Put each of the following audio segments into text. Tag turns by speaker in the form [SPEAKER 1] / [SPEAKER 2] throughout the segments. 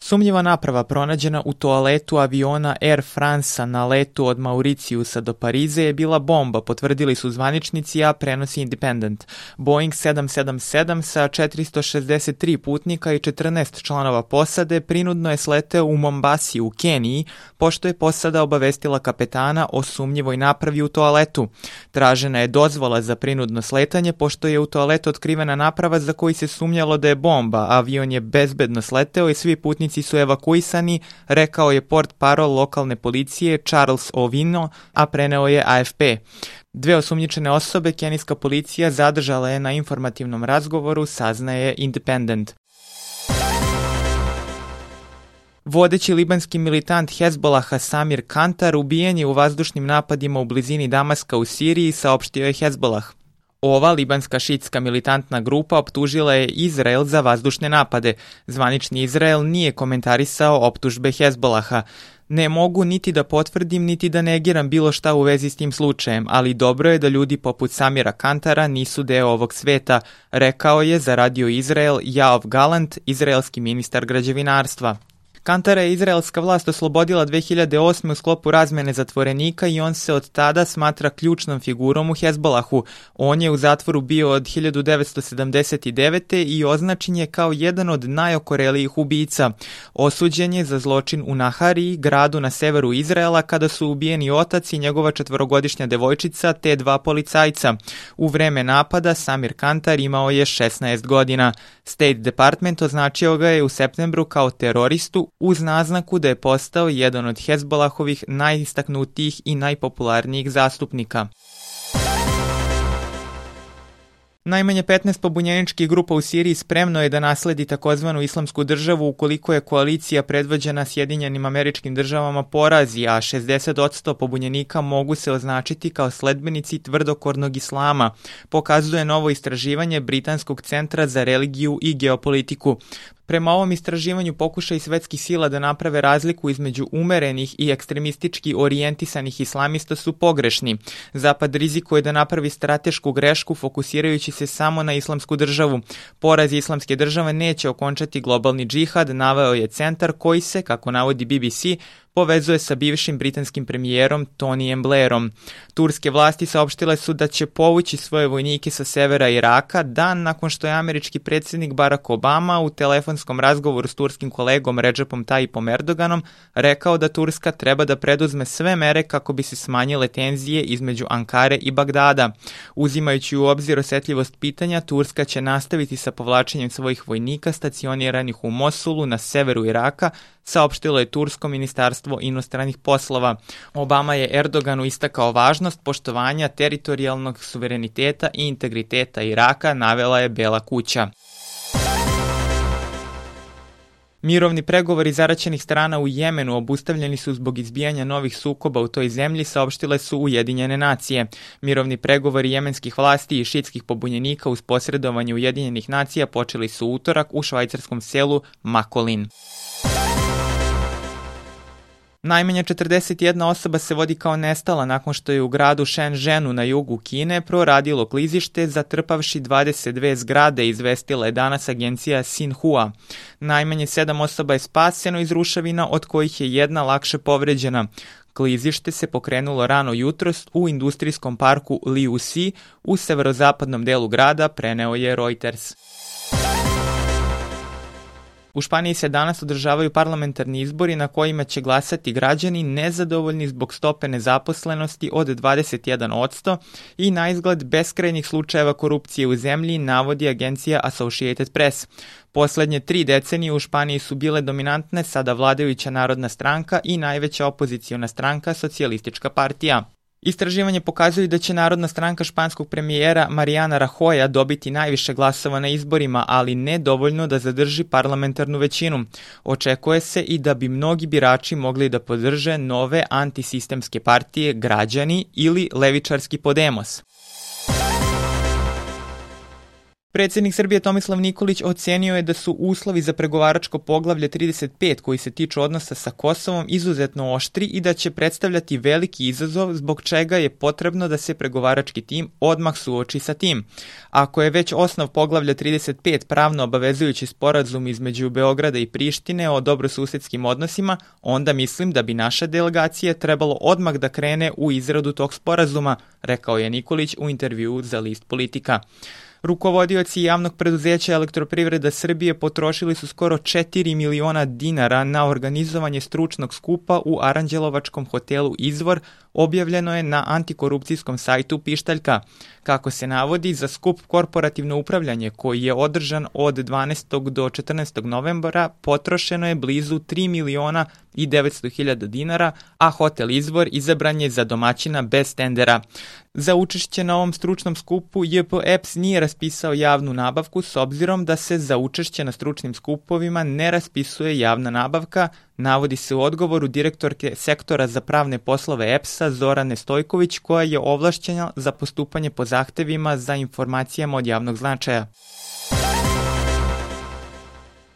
[SPEAKER 1] Sumnjiva naprava pronađena u toaletu aviona Air France-a na letu od Mauricijusa do Pariza je bila bomba, potvrdili su zvaničnici, a prenosi Independent. Boeing 777 sa 463 putnika i 14 članova posade prinudno je sleteo u Mombasi u Keniji, pošto je posada obavestila kapetana o sumnjivoj napravi u toaletu. Tražena je dozvola za prinudno sletanje, pošto je u toaletu otkrivena naprava za koju se sumnjalo da je bomba. Avion je bezbedno sleteo i svi putnici su evakuisani, rekao je portparol lokalne policije Charles Ovino, a preneo je AFP. Dve osumnjičene osobe kenijska policija zadržala je na informativnom razgovoru, saznaje Independent. Vodeći libanski militant Hezbolaha Samir Kantar ubijen je u vazdušnim napadima u blizini Damaska u Siriji, saopštio je Hezbolah. Ova libanska šiitska militantna grupa optužila je Izrael za vazdušne napade. Zvanični Izrael nije komentarisao optužbe Hezbolaha. Ne mogu niti da potvrdim, niti da negiram bilo šta u vezi s tim slučajem, ali dobro je da ljudi poput Samira Kantara nisu deo ovog sveta, rekao je za Radio Izrael Yoav Gallant, izraelski ministar građevinarstva. Kantara je izraelska vlast oslobodila 2008. u sklopu razmene zatvorenika i on se od tada smatra ključnom figurom u Hezbolahu. On je u zatvoru bio od 1979. i označen je kao jedan od najokorelijih ubica. Osuđen je za zločin u Nahariji, gradu na severu Izraela, kada su ubijeni otac i njegova 4-godišnja devojčica te 2 policajca. U vreme napada Samir Kantar imao je 16 godina. State Department označio ga je u septembru kao teroristu, uz naznaku da je postao jedan od Hezbolahovih najistaknutijih i najpopularnijih zastupnika. Najmanje 15 pobunjeničkih grupa u Siriji spremno je da nasledi takozvanu islamsku državu ukoliko je koalicija predvođena Sjedinjenim Američkim Državama porazi, a 60% pobunjenika mogu se označiti kao sledbenici tvrdokornog islama, pokazuje novo istraživanje Britanskog centra za religiju i geopolitiku. Prema ovom istraživanju pokušaj svetskih sila da naprave razliku između umerenih i ekstremistički orijentisanih islamista su pogrešni. Zapad rizikuje da napravi stratešku grešku fokusirajući se samo na islamsku državu. Poraz islamske države neće okončati globalni džihad, naveo je centar koji se, kako navodi BBC, povezuje sa bivšim britanskim premijerom Tonyjem Blairom. Turske vlasti saopštile su da će povući svoje vojnike sa severa Iraka dan nakon što je američki predsjednik Barack Obama u telefonskom razgovoru s turskim kolegom Recepom Tayyipom Erdoganom rekao da Turska treba da preduzme sve mere kako bi se smanjile tenzije između Ankare i Bagdada. Uzimajući u obzir osjetljivost pitanja, Turska će nastaviti sa povlačenjem svojih vojnika stacioniranih u Mosulu na severu Iraka, saopštilo je tursko ministarstvo inostranih poslova. Obama je Erdoganu istakao važnost poštovanja teritorijalnog suvereniteta i integriteta Iraka, navela je Bela kuća. Mirovni pregovori zaraćenih strana u Jemenu obustavljeni su zbog izbijanja novih sukoba u toj zemlji, saopštile su Ujedinjene nacije. Mirovni pregovori jemenskih vlasti i šiitskih pobunjenika uz posredovanje Ujedinjenih nacija počeli su utorak u švajcarskom selu Makolin. Najmanje 41 osoba se vodi kao nestala nakon što je u gradu Shenzhenu na jugu Kine proradilo klizište zatrpavši 22 zgrade, izvestila je danas agencija Xinhua. Najmanje 7 osoba je spaseno iz ruševina, od kojih je jedna lakše povređena. Klizište se pokrenulo rano jutros u industrijskom parku Liuxi u severozapadnom delu grada, preneo je Reuters. U Španiji se danas održavaju parlamentarni izbori na kojima će glasati građani nezadovoljni zbog stope nezaposlenosti od 21% i na izgled beskrajnih slučajeva korupcije u zemlji, navodi agencija Associated Press. Poslednje 3 decenije u Španiji su bile dominantne sada vladajuća Narodna stranka i najveća opoziciona stranka Socijalistička partija. Istraživanje pokazuje da će Narodna stranka španskog premijera Mariana Rajoya dobiti najviše glasova na izborima, ali ne dovoljno da zadrži parlamentarnu većinu. Očekuje se i da bi mnogi birači mogli da podrže nove antisistemske partije Građani ili levičarski Podemos. Predsjednik Srbije Tomislav Nikolić ocenio je da su uslovi za pregovaračko poglavlje 35 koji se tiču odnosa sa Kosovom izuzetno oštri i da će predstavljati veliki izazov zbog čega je potrebno da se pregovarački tim odmah suoči sa tim. Ako je već osnov poglavlja 35 pravno obavezujući sporazum između Beograda i Prištine o dobrosusedskim odnosima, onda mislim da bi naša delegacija trebalo odmah da krene u izradu tog sporazuma, rekao je Nikolić u intervjuu za list Politika. Rukovodioci javnog preduzeća Elektroprivreda Srbije potrošili su skoro 4 miliona dinara na organizovanje stručnog skupa u Aranđelovačkom hotelu Izvor, objavljeno je na antikorupcijskom sajtu Pištaljka. Kako se navodi, za skup Korporativno upravljanje koji je održan od 12. do 14. novembra potrošeno je blizu 3 miliona i 900 hiljada dinara, a hotel Izvor izabran je za domaćina bez tendera. Za učešće na ovom stručnom skupu JP EPS nije raspisao javnu nabavku s obzirom da se za učešće na stručnim skupovima ne raspisuje javna nabavka, navodi se u odgovoru direktorke sektora za pravne poslove EPS-a Zorane Stojković, koja je ovlašćena za postupanje po zahtevima za informacijama od javnog značaja.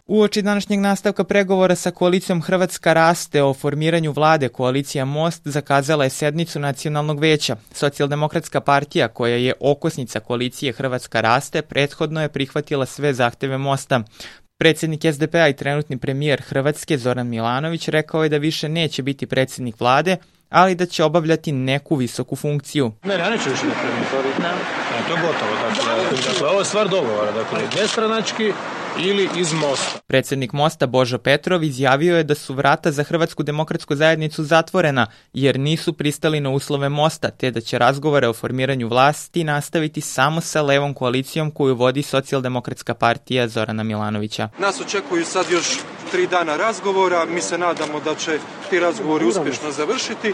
[SPEAKER 1] Uoči današnjeg nastavka pregovora sa koalicijom Hrvatska raste o formiranju vlade, koalicija Most zakazala je sednicu Nacionalnog veća. Socijaldemokratska partija, koja je okosnica koalicije Hrvatska raste, prethodno je prihvatila sve zahteve Mosta. Predsjednik SDP-a i trenutni premijer Hrvatske Zoran Milanović rekao je da više neće biti predsjednik vlade, ali da će obavljati neku visoku funkciju.
[SPEAKER 2] Ja neću više da premijer. To je gotovo. Dakle, ovo je stvar dogovora. Dakle, nestranački ili iz Mosta.
[SPEAKER 1] Predsjednik Mosta Božo Petrov izjavio je da su vrata za Hrvatsku demokratsku zajednicu zatvorena jer nisu pristali na uslove Mosta, te da će razgovore o formiranju vlasti nastaviti samo sa levom koalicijom koju vodi Socijaldemokratska partija Zorana Milanovića.
[SPEAKER 3] Nas očekuju sad još 3 dana razgovora, mi se nadamo da će ti razgovori uspješno završiti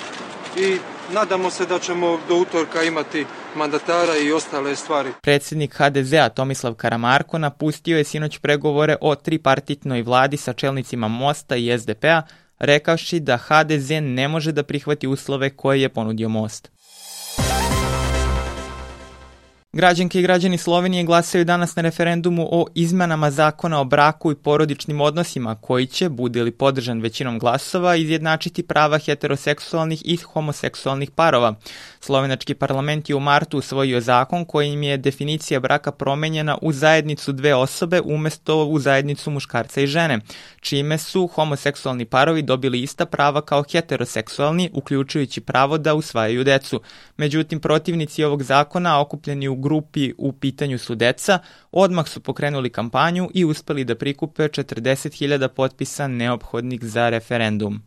[SPEAKER 3] i nadamo se da ćemo do utorka imati mandatara i ostale stvari.
[SPEAKER 1] Predsjednik HDZ-a Tomislav Karamarko napustio je sinoć pregovore o tripartitnoj vladi sa čelnicima Mosta i SDP-a, rekavši da HDZ ne može da prihvati uslove koje je ponudio Most. Građanke i građani Slovenije glasaju danas na referendumu o izmenama zakona o braku i porodičnim odnosima koji će, bude li podržan većinom glasova, izjednačiti prava heteroseksualnih i homoseksualnih parova. Slovenački parlament je u martu usvojio zakon kojim je definicija braka promenjena u zajednicu dve osobe umjesto u zajednicu muškarca i žene, čime su homoseksualni parovi dobili ista prava kao heteroseksualni, uključujući pravo da usvajaju decu. Međutim, protivnici ovog zakona, okupljeni u grupi U pitanju su deca, odmah su pokrenuli kampanju i uspeli da prikupe 40.000 potpisa neophodnih za referendum.